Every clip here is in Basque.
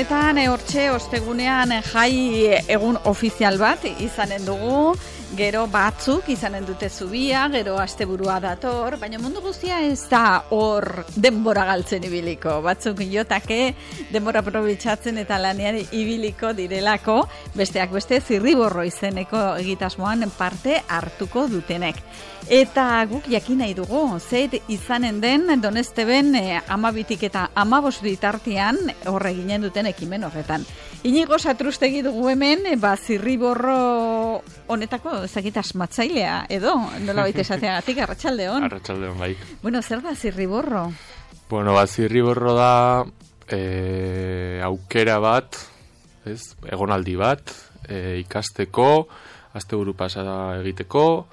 honetan, hortxe, ostegunean jai egun ofizial bat izanen dugu, gero batzuk izanen dute zubia, gero asteburua dator, baina mundu guztia ez da hor denbora galtzen ibiliko. Batzuk jotake denbora aprobetxatzen eta lanean ibiliko direlako, besteak beste zirriborro izeneko egitasmoan parte hartuko dutenek. Eta guk jakin nahi dugu, zeit izanen den Donesteben 12 eta 15 bitartean horre ginen duten ekimen horretan. Inigo Satrustegi dugu hemen, zirriborro honetako ezagit asmatzailea, edo nola baita esateagatik, arratsaldeon. Arratsaldeon, bai. Bueno, zer da zirriborro? Bueno, zirriborro da aukera bat, egonaldi bat, ikasteko, asteburu pasada egiteko,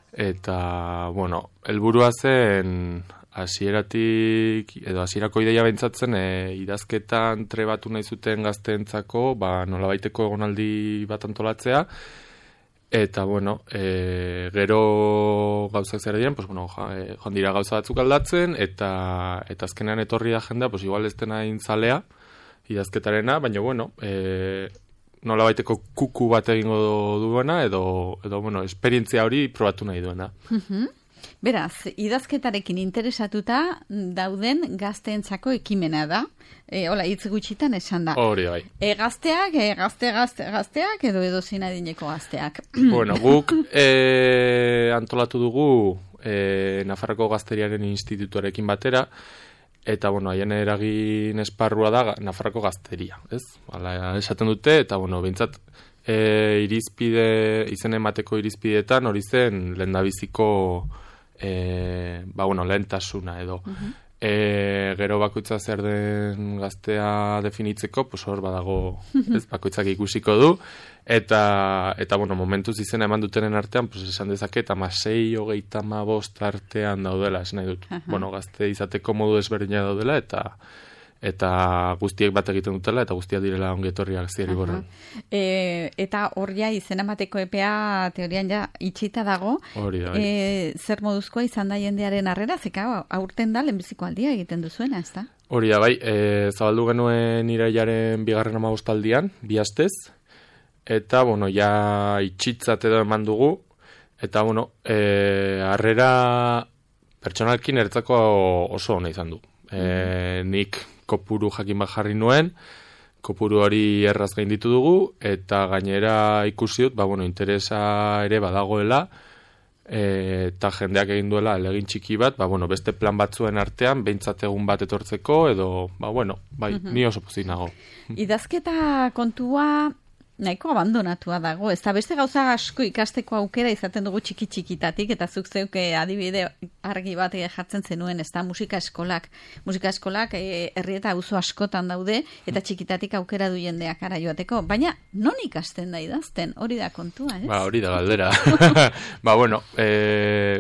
eta, bueno, helburua zen hasieratik, edo hasierako ideia beintzatzen, idazketan trebatu nahi zuten gazteentzako, nolabaiteko egonaldi bat antolatzea, eta, bueno, gero gauzak zer diren, joan dira gauza batzuk aldatzen, eta azkenean etorri da jendea, igual ez dena intzalea, idazketarena, baina, bueno, nolabaiteko kuku bat egingo duena, edo bueno, esperientzia hori probatu nahi duena. Beraz, idazketarekin interesatuta dauden gazteentzako ekimena da. Hola, hitz gutxitan esan da. Hori, bai. Gazteak, gazteak, edo zein adineko gazteak. Bueno, guk antolatu dugu Nafarroko Gazteriaren Institutuarekin batera, eta, bueno, haien eragin esparrua da Nafarroko Gazteria, ez? Hala esaten dute, eta, bueno, behintzat izen emateko irizpideetan hori zen lehendabiziko lehentasuna edo. Gero bakoitza zer den gaztea definitzeko, hor badago, ez, bakoitzak ikusiko du, eta bueno, momentuz izena eman dutenen artean, esan dezaket, 16, 35 artean daudela, esan nahi dut. Bueno, gazte izateko modu ezberdina daudela, eta guztiek bat egiten dutela, eta guztiak direla ongietorriak zirriborroan. Eta hor ja izena emateko epea teorian ja itxita dago. Hori da. Zer moduzkoa izan da jendearen harrera, zeka aurten da lehenbiziko aldia egiten duzuena, ez da? Hori da, bai, zabaldu genuen irailaren 15. aldian, 2 astez, eta, bueno, ja itxitzat edo eman dugu, eta, bueno, harrera pertsonalkin ertzako oso ona izan du. Nik kopuru jakin bat jarri nuen, kopuru hori erraz gainditu dugu, eta gainera ikusi dut, interesa ere badagoela, eta jendeak egin duela elegin txiki bat, beste plan batzuen artean, behintzat egun bat etortzeko, edo, ni oso pozik nago. Idazketa kontua nahiko abandonatua dago, ez da beste gauza asko ikasteko aukera izaten dugu txiki-txikitatik, eta zuk zeuke adibide argi bat jartzen zenuen, ez da musika eskolak. Musika eskolak herri eta auzo askotan daude, eta txikitatik aukera du jendeak ara joateko. Baina, non ikasten da idazten? Hori da kontua, ez? Hori da galdera.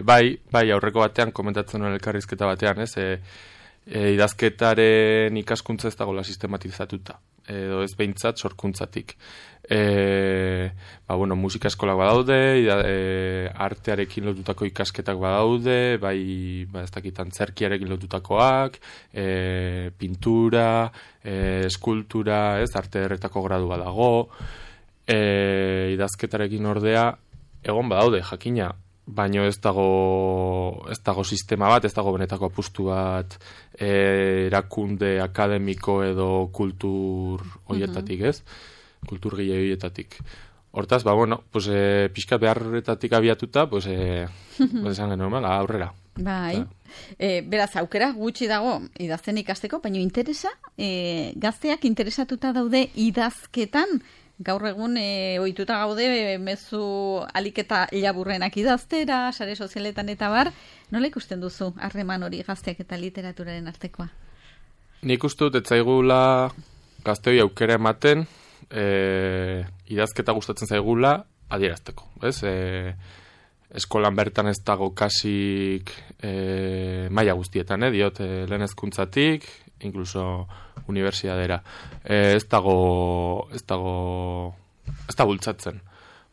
Bai, aurreko batean, komentatzen nuen elkarrizketa batean, ez? Idazketaren ikaskuntza ez dagoela sistematizatuta, edo ez behintzat sorkuntzatik. Musika eskolak badaude, artearekin lotutako ikasketak badaude, ez dakit antzerkiarekin lotutakoak, pintura, eskultura, ez, arte erretako gradu badago, idazketarekin ordea, egon badaude, jakina, baino ez dago sistema bat, ez dago benetako apustu bat, erakunde akademiko edo kultur hoietatik, ez? Kulturgile horietatik. Hortaz, pixkat beharretatik abiatuta, esan genuen, aurrera. Bai. Beraz, aukera gutxi dago idazten ikasteko, baina interesa, gazteak interesatuta daude idazketan, gaur egun ohituta gaude mezu alik eta laburrenak idaztera, sare sozialetan eta bar, nola ikusten duzu harreman hori gazteak eta literaturaren artekoa? Nik uste dut etzaigula gazteoi aukera ematen, idazketa gustatzen zaigula adierazteko, ez? Eskolan bertan ez dago kasik maila guztietan, diot, lehen hezkuntzatik, incluso unibertsitatera. Ez da bultzatzen.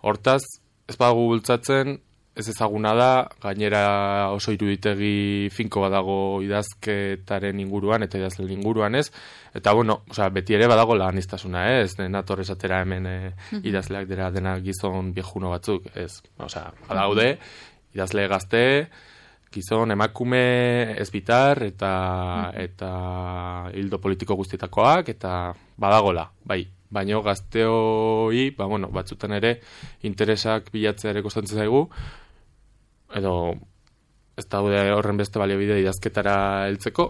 Hortaz, ez badago bultzatzen, ez ezaguna da, gainera oso iruditegi finko badago idazketaren inguruan eta idazlen inguruan ez, eta bueno, beti ere badago lanistasuna ez, nator esatera hemen idazleak dira dena gizon viejuno batzuk, ez, badaude, idazle gazte, gizon emakume ezbitar eta hildo politiko guztietakoak, eta badagola, bai. Baina gazteoi, batzutan ere interesak bilatzea ere kostatzen zaigu, edo ez daude horren beste baliabide idazketara heltzeko.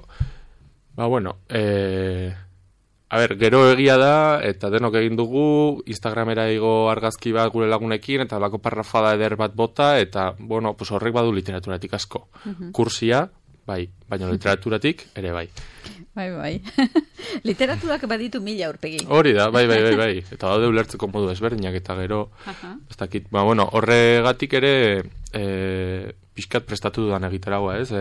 Gero egia da, eta denok egin dugu, Instagramera igo argazki bat gure lagunekin, eta lako parrafada eder bat bota, eta horrek badu literaturatik asko. Kursia, bai, baina literaturatik ere bai. Bai. Literaturak baditu 1000 aurpegi. Hori da, bai. Eta daude ulertzeko modu ezberdinak, eta gero, ez dakit, horregatik ere pixkat prestatu dudan egiteragoa, ez?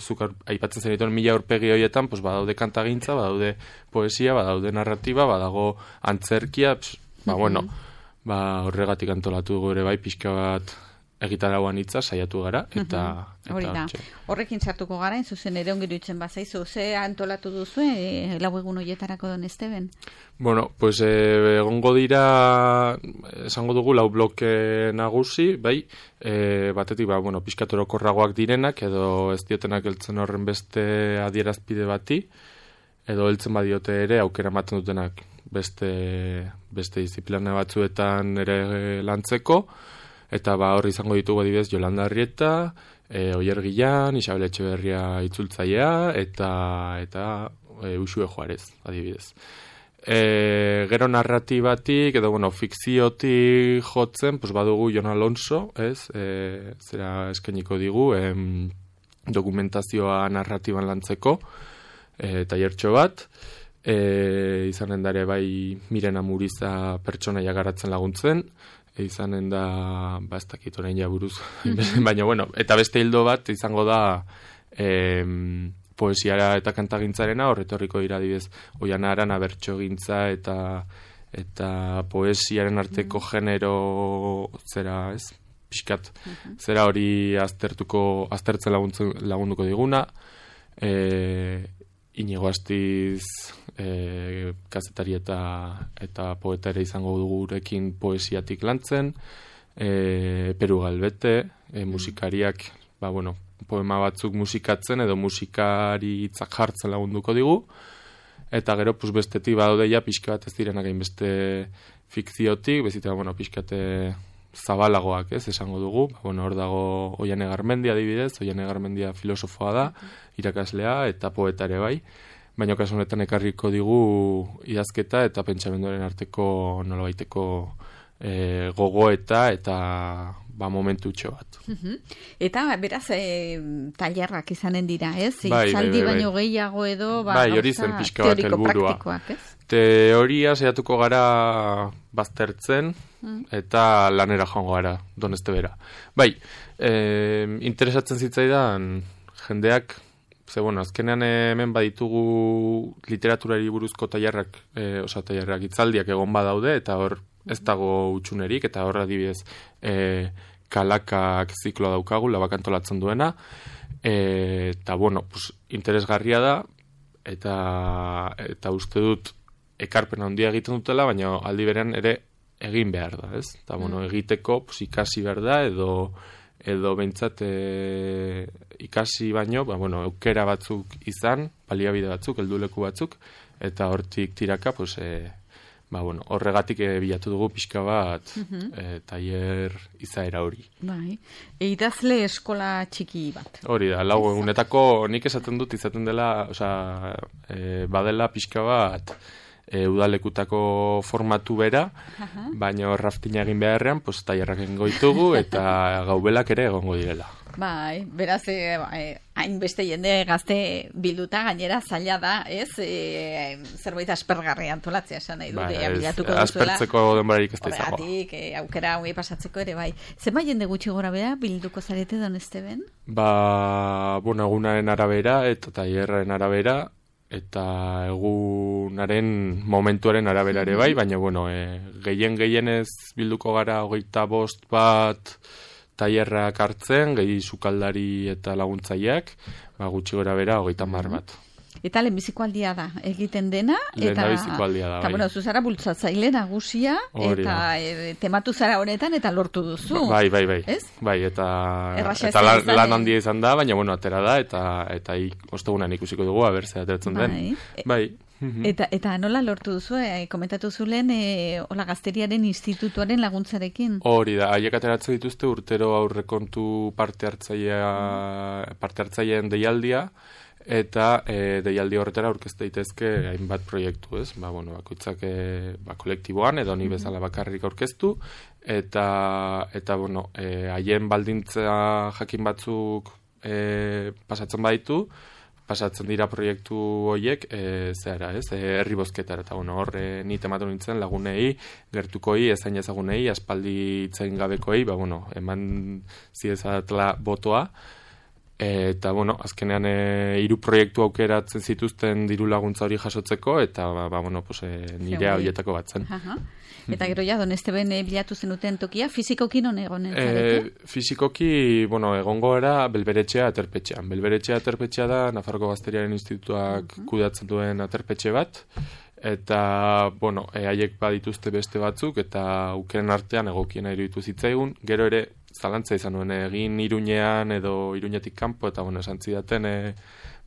Zuk aipatzen zenituen 1000 aurpegi horietan, badaude kantagintza, badaude poesia, badaude narratiba, badago antzerkia, horregatik antolatu dugu ere bai, pixka bat egitaragoan hitza saiatu gara, eta hori da. Horrekin sartuko gara, zuzen ere ongiru itzen bazaizu, ze antolatu duzu, lau egun horietarako Don Esteben? Egongo dira, esango dugu, 4 bloke nagusi, bai, batetik, pixkat orokorragoak direnak, edo ez diotenak heltzen horren beste adierazpide bati, edo heltzen badiote ere, aukera ematen dutenak beste disiplina batzuetan ere lantzeko, eta hor izango ditugu adibidez Yolanda Arrieta, Oier Gillan, Isabel Etxeberria itzultzailea, eta Uxue Juarez, adibidez. Gero narratibatik, edo fikziotik jotzen, badugu Jon Alonso, zera eskainiko digu, dokumentazioa narratiban lantzeko, tailertxo bat, izanen dare bai Miren Amuriza pertsonaia garatzen laguntzen, izanen da, ez dakit orain jaburuz, baina eta beste hildo bat izango da poesiara eta kantagintzarena, horretorriko dira adibidez Oiana Arana bertsogintza eta poesiaren arteko genero zera, ez? Pixkat, zera hori aztertzen lagunduko diguna, Inigo Astiz kazetari eta poeta ere izango dugurekin poesiatik lantzen, Peru Galbete, musikariak, poema batzuk musikatzen edo musikari hitzak jartzen lagunduko digu, eta gero bestetik badaude ja pixka bat ez direnak egin beste fikziotik, bezita pixka zabalagoak, ez, esango dugu, hor dago Oiane Garmendia adibidez, Oiane Garmendia filosofoa da, irakaslea eta poeta ere bai, baina kasu honetan ekarriko digu idazketa eta pentsamenduaren arteko nolabaiteko gogoeta eta momentutxo bat. Eta beraz tailerrak izanen dira, ez? Itzaldi baino gehiago edo hori zen pixka bat helburua. Teoria saiatuko gara baztertzen eta lanera joango gara, Don Estebera. Interesatzen zitzaidan jendeak, azkenean hemen baditugu literaturari buruzko tailerrak, tailerrak itzaldiak egon badaude, eta hor ez dago utxunerik, eta hor adibidez Kalakak zikloa daukagu, Labak antolatzen duena, eta interesgarria da, eta uste dut ekarpen handia egiten dutela, baina aldi berean ere egin behar da, ez? Eta egiteko ikasi behar da, edo behintzat ikasi baino, eukera batzuk izan, baliabide batzuk, helduleku batzuk, eta hortik tiraka, horregatik bilatu dugu pixka bat tailer izaera hori. Idazle eskola txiki bat. Hori da, 4 egunetako nik esaten dut izaten dela, badela pixka bat udalekutako formatu bera, baina raftina egin beharrean, tailerrak egingo ditugu eta gaubelak ere egongo direla. Beraz, hainbeste jende gazte bilduta gainera zaila da, ez? Zerbait aspergarri antolatzea esan nahi dut, bilatuko duzuela. Aspertzeko denborarik ez da izango. Horregatik, aukera hori pasatzeko ere bai. Zenba jende gutxi gora bera bilduko zarete, Don Esteben? Egunaren arabera eta tailerraren arabera, eta egunaren momentuaren arabera ere bai, baina gehien ez bilduko gara 25 bat tailerrak hartzen, gehi sukaldari eta laguntzaileak, gutxi gora bera 30 bat. Eta lehenbiziko aldia da, egiten dena. Lehenbiziko aldia da, bai. Eta, bueno, zuzara bultzatzaile nagusia, eta tematu zara honetan, eta lortu duzu. Bai. Ez? Bai, eta lan handia izan da, baina, bueno, atera da, eta ostegunan ikusiko dugu, zer ateratzen den. Bai. Eta nola lortu duzu, komentatu zulen, hola Gazteriaren Institutuaren laguntzarekin? Hori da, haiek ateratzen dituzte urtero aurrekontu parte hartzaileen deialdia, eta deialdi horretara aurkezte daitezke hainbat proiektu, ez? Bakoitzak kolektiboan edo ni bezala bakarrik aurkeztu, eta bueno, haien baldintza jakin batzuk pasatzen baditu, pasatzen dira proiektu horiek herri bozketara, eta bueno, hor ni tematu nintzen lagunei, gertukoi, ezain ezagunei, aspaldi itzain gabekoi, eman ziezatela botoa, eta, bueno, azkenean 3 proiektu aukeratzen zituzten diru laguntza hori jasotzeko, eta, nire horietako bat zen. Eta gero ja, Donesteben bilatu zenuten tokia, fizikoki non egonen zarete? Fizikoki, egongo era Belberetxea aterpetxean. Belberetxea aterpetxea da, Nafarroko Gazteriaren Institutuak kudeatzen duen aterpetxe bat, eta, haiek badituzte beste batzuk, eta aukeren artean egokiena iruditu zitzaigun, gero ere, zalantza izan nuen, egin Iruñean edo Iruñetik kanpo, eta esan zidaten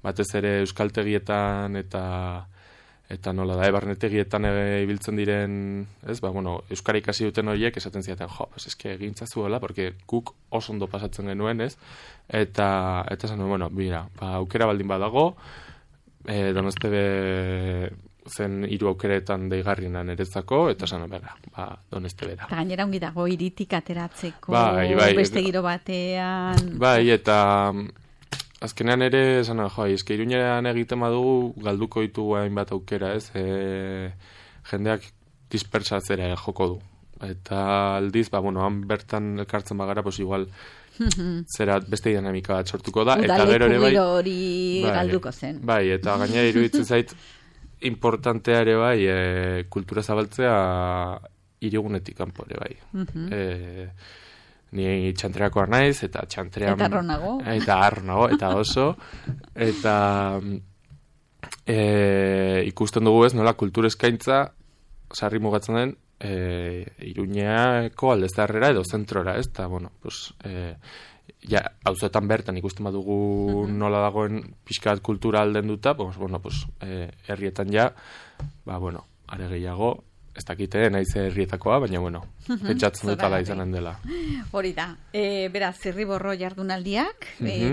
batez ere euskaltegietan eta nola da, barnetegietan ibiltzen diren, euskara ikasi duten horiek esaten zidaten, eske egintzazuela, porque guk oso ondo pasatzen genuen, ez? Eta esan nuen, aukera baldin badago, Donestebe zen 3 aukeretan deigarrienan eretzako, eta esan Donestebera. Eta gainera ongi dago hiritik ateratzeko, beste giro batean. Bai, eta azkenean ere, esan eske Iruñean egiten badugu, galduko ditugu hainbat aukera, ez? Jendeak dispersatzera joko du. Eta aldiz, han bertan elkartzen bagara, igual, zera beste dinamika bat sortuko da. Udaleku giro hori galduko zen. Bai, eta gainera iruditzen zait, importantea ere bai, kultura zabaltzea hirigunetik kanpo ere bai. Ni txantreakoa naiz, eta txantrean... Eta arronago. Eta oso. Eta ikusten dugu ez, nola kultur eskaintza sarri mugatzen den Iruñeako aldezarrera edo zentrora, ez? Eta, auzoetan bertan ikusten badugu nola dagoen pixkat kultura alden duta, herrietan are gehiago, ez dakite, naiz herrietakoa, baina, pentsatzen dut ala izanen dela. Hori da, beraz, Zirriborro jardunaldiak,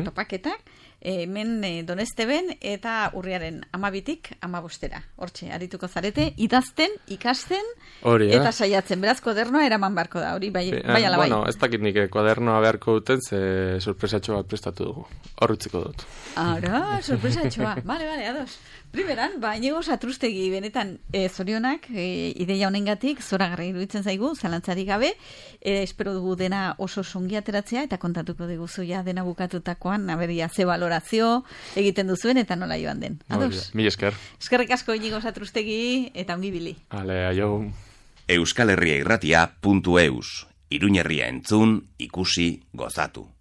topaketak, hemen Donesteben eta urriaren 12tik 15era. Hortxe, arituko zarete, idazten, ikasten, eta saiatzen. Beraz, kodernoa eraman beharko da, hori bai ala bai. Ez dakit nik kodernoa beharko duten, ze sorpresatxo bat prestatu dugu. Horrutziko dut. Ara, sorpresatxoa. Bale, ados. Primeran, Inigo Satrustegi benetan zorionak, ideia honengatik, zoragarri iruditzen zaigu, zalantzarik gabe, espero dugu dena oso songi ateratzea, eta kontatuko diguzu ja dena bukatutakoan, aberia ze balorazio egiten duzuen, eta nola joan den. Ados? Mil esker. Eskerrik asko Inigo Satrustegi, eta ongi bili. Aio. Euskalherriairratia.eus. Iruñerria entzun, ikusi, gozatu.